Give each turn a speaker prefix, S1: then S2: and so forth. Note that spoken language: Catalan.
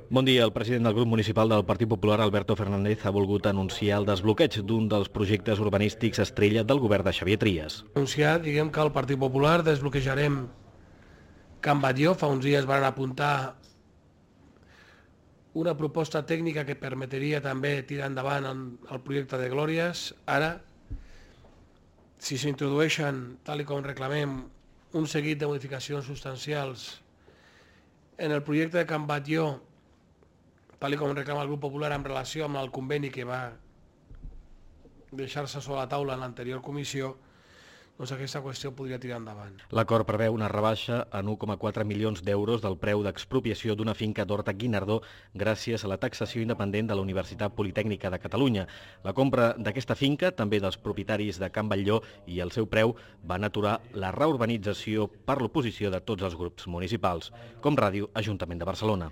S1: Bon dia. El president del grup municipal del Partit Popular, Alberto Fernández, ha volgut anunciar el desbloqueig d'un dels projectes urbanístics estrella del govern de Xavier Trias.
S2: Anunciar, que el Partit Popular desbloquejarem Can Batlló. Fa uns dies van apuntar una proposta tècnica que permetria també tirar endavant el projecte de Glòries. Ara, si s'introdueixen, tal com reclamem, un seguit de modificacions substancials en el projecte de Can Batlló, tal com reclama el grup popular en relació amb el conveni que va deixar-se sobre la taula en l'anterior comissió, doncs aquesta qüestió podria tirar endavant.
S1: L'acord preveu una rebaixa en 1,4 milions d'euros del preu d'expropiació d'una finca d'Horta-Guinardó gràcies a la taxació independent de la Universitat Politècnica de Catalunya. La compra d'aquesta finca, també dels propietaris de Can Batlló, i el seu preu van aturar la reurbanització per l'oposició de tots els grups municipals. Com Ràdio, Ajuntament de Barcelona.